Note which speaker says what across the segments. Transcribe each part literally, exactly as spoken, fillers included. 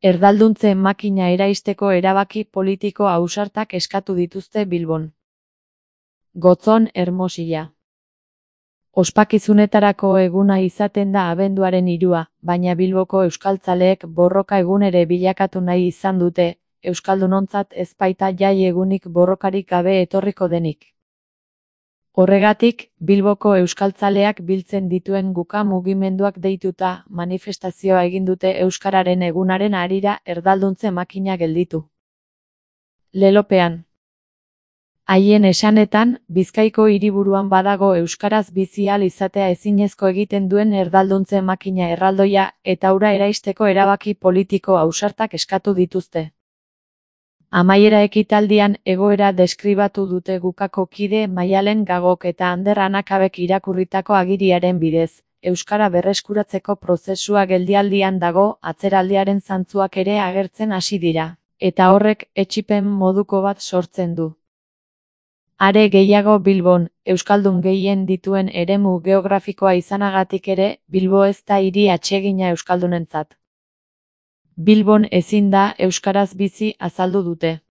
Speaker 1: Erdalduntze makina eraisteko erabaki politiko ausartak eskatu dituzte Bilbon. Gotzon Hermosilla. Ospakizunetarako eguna izaten da abenduaren hirua, baina Bilboko euskaltzaleek borroka egun ere bilakatu nahi izan dute, euskaldunontzat ez baita jai egunik borrokarik gabe etorriko denik. Horregatik, Bilboko euskaltzaleak biltzen dituen guka mugimenduak deituta manifestazioa egin dute euskararen egunaren harira erdalduntze makina gelditu. Lelopean. Haien esanetan, Bizkaiko hiriburuan badago euskaraz bizi ahal izatea ezinezko egiten duen erdalduntze makina erraldoia eta hura eraisteko erabaki politiko ausartak eskatu dituzte. Amaiera ekitaldian egoera deskribatu dute gukako kide Maialen Gagok eta Ander Anakabek irakurritako agiriaren bidez, euskara berreskuratzeko prozesua geldialdian dago, atzeraldiaren zantzuak ere agertzen hasi dira, eta horrek etsipen moduko bat sortzen du. Are gehiago Bilbon, euskaldun gehien dituen eremu geografikoa izanagatik ere, Bilbo ez da hiri atsegina euskaldunentzat. Bilbon ezin da euskaraz bizi azaldu dute.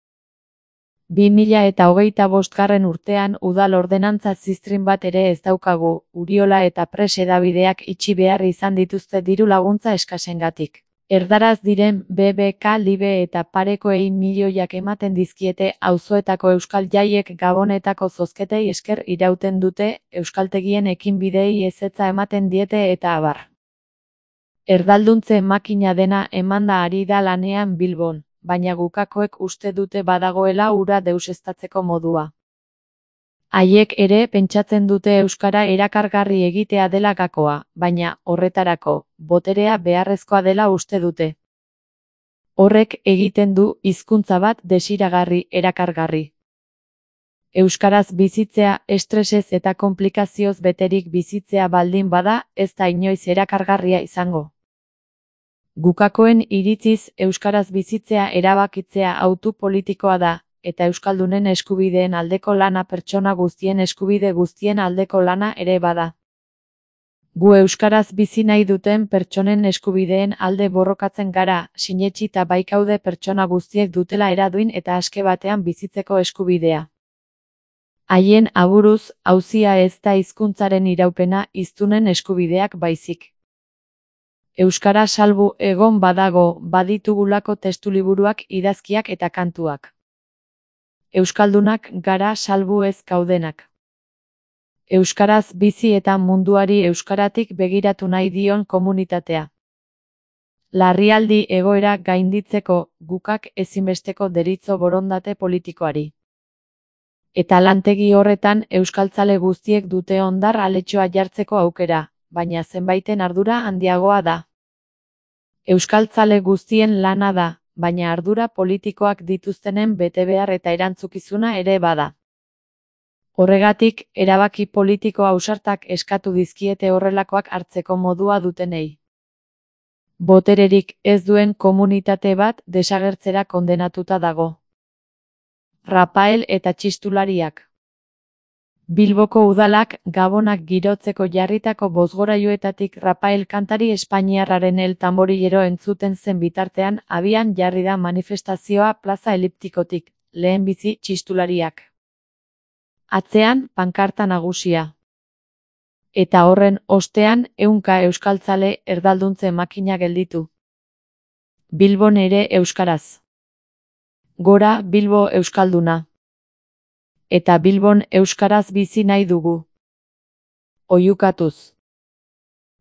Speaker 1: bi mila eta hogeita bostgarren urtean udal ordenantza ziztrin bat ere ez daukagu, Uriola eta Press hedabideak itxi behar izan dituzte diru laguntza eskasengatik. Erdaraz diren B B K Libe eta parekoei milioiak ematen dizkiete auzoetako euskal jaiek Gabonetako zozketei esker irauten dute, euskaltegien ekinbideei ezetza ematen diete eta abar. Erdalduntze makina dena emanda ari da lanean Bilbon, baina gukakoek uste dute badagoela hura deuseztatzeko modua. Haiek ere pentsatzen dute euskara erakargarri egitea dela gakoa, baina, horretarako, boterea beharrezkoa dela uste dute. Horrek egiten du hizkuntza bat desiragarri, erakargarri. Euskaraz bizitzea, estresez eta konplikazioz beterik bizitzea baldin bada, ez da inoiz erakargarria izango. Gukakoen iritziz euskaraz bizitzea erabakitzea hautu politikoa da, eta euskaldunen eskubideen aldeko lana pertsona guztien eskubide guztien aldeko lana ere bada. Gu euskaraz bizi nahi duten pertsonen eskubideen alde borrokatzen gara, sinetsita baikaude pertsona guztiek dutela eraduin eta aske batean bizitzeko eskubidea. Haien aburuz, auzia ez da hizkuntzaren iraupena, hiztunen eskubideak baizik. Euskara salbu egon badago, baditugulako testuliburuak, idazkiak eta kantuak. Euskaldunak gara salbu ez gaudenak. Euskaraz bizi eta munduari euskaratik begiratu nahi dion komunitatea. Larrialdi egoera gainditzeko, gukak ezinbesteko deritzo borondate politikoari. Eta lantegi horretan euskaltzale guztiek dute ondar aletxoa jartzeko aukera, baina zenbaiten ardura handiagoa da. Euskaltzale guztien lana da, baina ardura politikoak dituztenen betebehar eta erantzukizuna ere bada. Horregatik, erabaki politiko ausartak eskatu dizkiete horrelakoak hartzeko modua dutenei. Botererik ez duen komunitate bat desagertzera kondenatuta dago. Rapael eta txistulariak. Bilboko udalak Gabonak girotzeko jarritako bozgorailuetatik Rapael kantari espainiarraren El Tamborillero entzuten zen bitartean abian jarri da manifestazioa plaza eliptikotik, lehenbizi txistulariak. Atzean, pankarta nagusia. Eta horren ostean ehunka euskaltzale erdalduntze makina gelditu. Bilbon ere euskaraz. Gora Bilbo euskalduna. Eta Bilbon euskaraz bizi nahi dugu. Oihukatuz.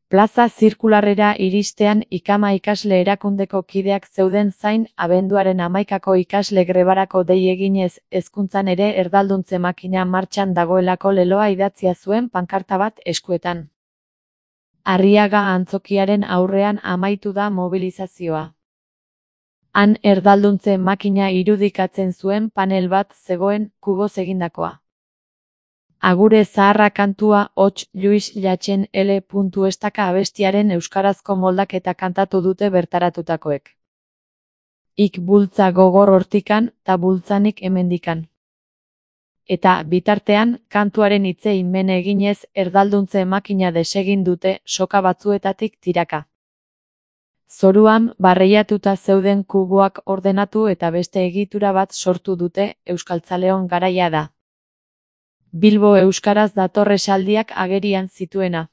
Speaker 1: Plaza zirkularrera iristean Ikama ikasle erakundeko kideak zeuden zain abenduaren hamaikako ikasle grebarako dei eginez hezkuntzan ere erdalduntze makina martxan dagoelako leloa idatzia zuen pankarta bat eskuetan. Arriaga antzokiaren aurrean amaitu da mobilizazioa. Han erdalduntze makina irudikatzen zuen panel bat zegoen kuboz egindakoa. Agure zaharra kantua hots Luis Llachen L. Estaka abestiaren euskarazko moldaketa kantatu dute bertaratutakoek. Ik bultza gogor hortikan, ta bultzanik hemendikan. Eta, bitartean, kantuaren hitzei men eginez erdalduntze makina desegin dute soka batzuetatik tiraka. Zoruan, barreiatuta zeuden kuboak ordenatu eta beste egitura bat sortu dute, euskaltzaleon garaia da. Bilbo euskaraz dator esaldiak agerian zituena.